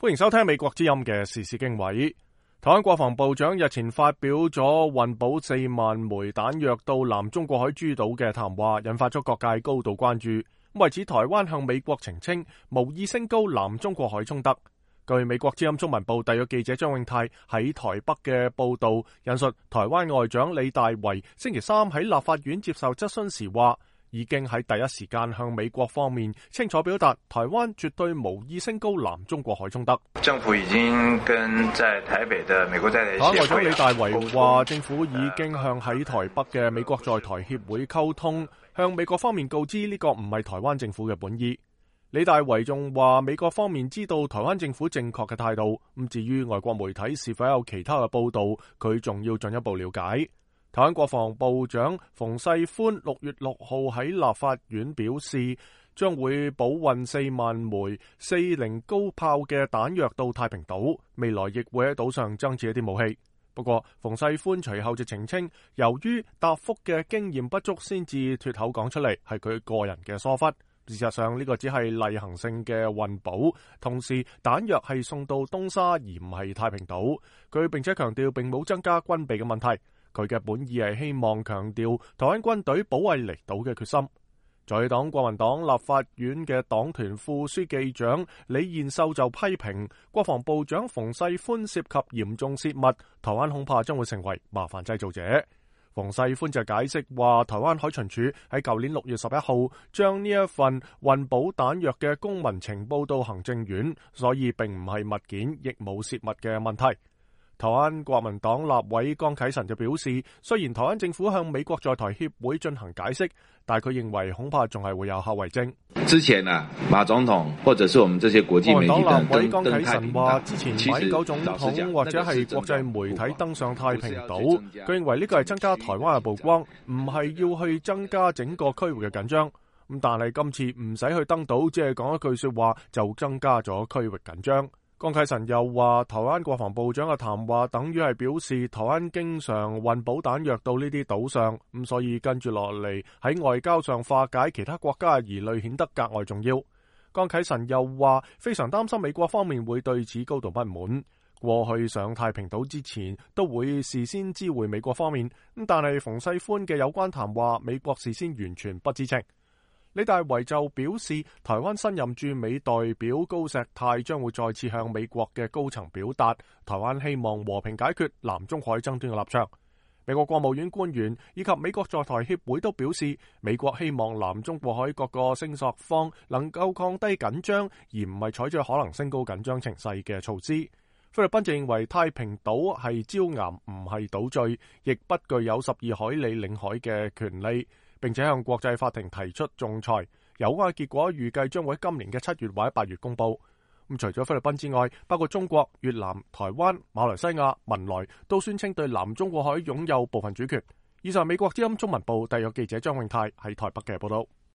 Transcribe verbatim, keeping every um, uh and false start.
歡迎收聽美國之音嘅時事經緯。台灣國防部長日前發表咗運補四萬枚彈藥到南中國海諸島嘅談話，引發咗各界高度關注。為此，台灣向美國澄清無意升高南中國海衝突。據美國之音中文部特約記者張永泰喺台北嘅報道，引述台灣外長李大維星期三喺立法院接受質詢時話，已經喺第一時間向美國方面清楚表達，台灣絕對無意升高南中國海衝突。政府已經跟在台北的美國在台協會，台灣外長李大維話，政府已經向喺台北嘅美國在台協會溝通，向美國方面告知呢個唔係台灣政府嘅本意。李大維仲話，美國方面知道台灣政府正確嘅態度，咁至於外國媒體是否有其他嘅報道，佢仲要進一步了解。台灣國防部長馮世寬六月六號喺立法院表示，將會補運四萬枚四零高炮嘅彈藥到太平島，未來亦會喺島上增設一啲武器。不過，馮世寬隨後就澄清，由於答覆嘅經驗不足，先至脫口講出嚟，係佢個人嘅疏忽。事實上，呢個只係例行性嘅運補，同時彈藥係送到東沙而唔係太平島。佢並且強調並冇增加軍備嘅問題。佢嘅本意係希望強調台灣軍隊保衛離島嘅決心。在黨國民黨立法院嘅黨團副書記長李彥秀就批評國防部長馮世寬涉及嚴重泄密，台灣恐怕將會成為麻煩製造者。馮世寬就解釋話，台灣海巡署喺舊年六月十一號將呢一份運補彈藥嘅公文呈報到行政院，所以並唔係物件，亦冇泄密嘅問題。台灣國民黨立委江啟臣就表示，雖然台灣政府向美國在台協會進行解釋，但佢認為恐怕仲係會有後遺症。之前啊，馬總統或者是我們這些國際媒體黨立委江啟臣話，之前馬英九總統或者係國際媒體登上太平島，佢認為呢個係增加台灣嘅曝光，唔係要去增加整個區域嘅緊張。咁但係今次唔使去登島，只係講一句說話就增加咗區域緊張。江啟臣又話，台灣國防部長嘅談話等於係表示台灣經常運補彈藥到呢啲島上，咁所以跟住落嚟喺外交上化解其他國家嘅疑慮顯得格外重要。江啟臣又話，非常擔心美國方面會對此高度不滿。過去上太平島之前都會事先知會美國方面，咁但係馮世寬嘅有關談話，美國事先完全不知情。李大維就表示，台灣新任駐美代表高石泰將會再次向美國嘅高層表達台灣希望和平解決南中海爭端嘅立場。美國國務院官員以及美國在台協會都表示，美國希望南中國海各個聲索方能夠降低緊張，而唔係採取可能升高緊張情勢嘅措施。菲律賓就認為太平島係礁岩，唔係島嶼，亦不具有十二海里領海嘅權利，並且向國際法庭提出仲裁，有關結果預計將會喺今年嘅七月或者八月公佈。咁除咗菲律賓之外，包括中國、越南、台灣、馬來西亞、文萊都宣稱對南中國海擁有部分主權。以上美國之音中文部特約記者張永泰喺台北嘅報道。